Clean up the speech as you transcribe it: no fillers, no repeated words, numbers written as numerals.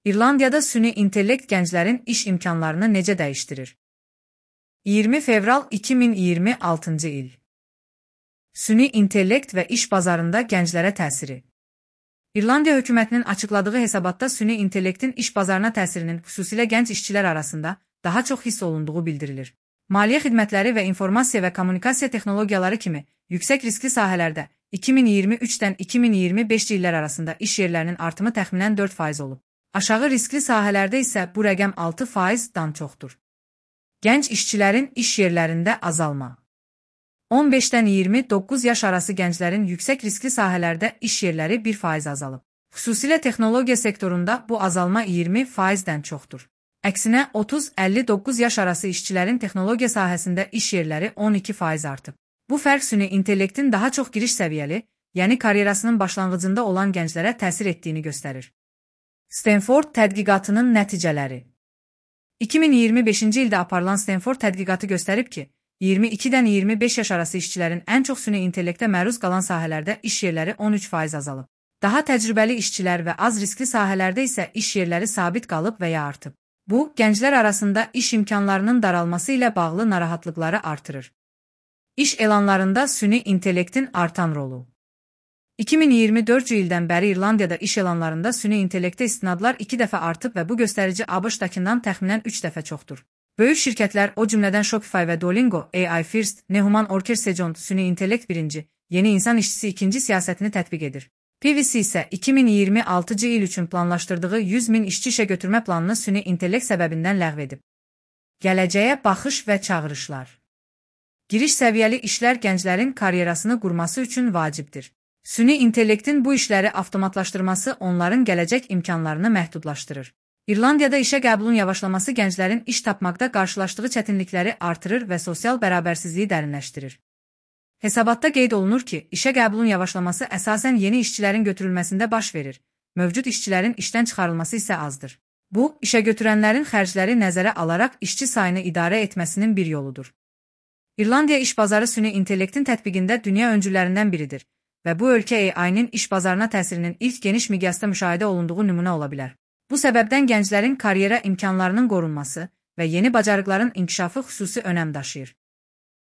İrlandiyada süni intellekt gənclərin iş imkanlarını necə dəyişdirir? 20 fevral 2026 il. Süni intellekt və iş bazarında gənclərə təsiri. İrlandiya hökumətinin açıqladığı hesabatda süni intellektin iş bazarına təsirinin xüsusilə gənc işçilər arasında daha çox hiss olunduğu bildirilir. Maliyyə xidmətləri və informasiya və kommunikasiya texnologiyaları kimi yüksək riskli sahələrdə 2023-dən 2025 illər arasında iş yerlərinin artımı təxminən 4% olub. Aşağı riskli sahələrdə isə bu rəqəm 6%-dan çoxdur. Gənc işçilərin iş yerlərində azalma. 15-dən 29 yaş arası gənclərin yüksək riskli sahələrdə iş yerləri 1% azalıb. Xüsusilə texnologiya sektorunda bu azalma 20%-dən çoxdur. Əksinə 30-59 yaş arası işçilərin texnologiya sahəsində iş yerləri 12% artıb. Bu fərq süni intellektin daha çox giriş səviyyəli, yəni karyerasının başlanğıcında olan gənclərə təsir etdiyini göstərir. Stanford tədqiqatının nəticələri. 2025-ci ildə aparılan Stanford tədqiqatı göstərib ki, 22-dən 25 yaş arası işçilərin ən çox süni intellektə məruz qalan sahələrdə iş yerləri 13% azalıb. Daha təcrübəli işçilər və az riskli sahələrdə isə iş yerləri sabit qalıb və ya artıb. Bu, gənclər arasında iş imkanlarının daralması ilə bağlı narahatlıqları artırır. İş elanlarında süni intellektin artan rolu. 2024-cü ildən bəri İrlandiyada iş elanlarında süni intellektə istinadlar 2 dəfə artıb və bu göstərici ABŞ-dakından təxminən 3 dəfə çoxdur. Böyük şirkətlər, o cümlədən Shopify və Duolingo, AI First, Nehuman Orkersejont, süni intellekt birinci, yeni insan işçisi ikinci siyasətini tətbiq edir. PwC isə 2026-cı il üçün planlaşdırdığı 100.000 işçi işə götürmə planını süni intellekt səbəbindən ləğv edib. Gələcəyə baxış və çağırışlar. Giriş səviyyəli işlər gənclərin karyerasını qurması üçün vacibdir. Süni intellektin bu işləri avtomatlaşdırması onların gələcək imkanlarını məhdudlaşdırır. İrlandiyada işə qəbulun yavaşlaması gənclərin iş tapmaqda qarşılaşdığı çətinlikləri artırır və sosial bərabərsizliyi dərinləşdirir. Hesabatda qeyd olunur ki, işə qəbulun yavaşlaması əsasən yeni işçilərin götürülməsində baş verir, mövcud işçilərin işdən çıxarılması isə azdır. Bu, işə götürənlərin xərcləri nəzərə alaraq işçi sayını idarə etməsinin bir yoludur. İrlandiya iş bazarı süni intellektin tətbiqində dünya öncülərindən biridir və bu ölkə AI-nin iş bazarına təsirinin ilk geniş miqyasda müşahidə olunduğu nümunə ola bilər. Bu səbəbdən gənclərin karyera imkanlarının qorunması və yeni bacarıqların inkişafı xüsusi önəm daşıyır.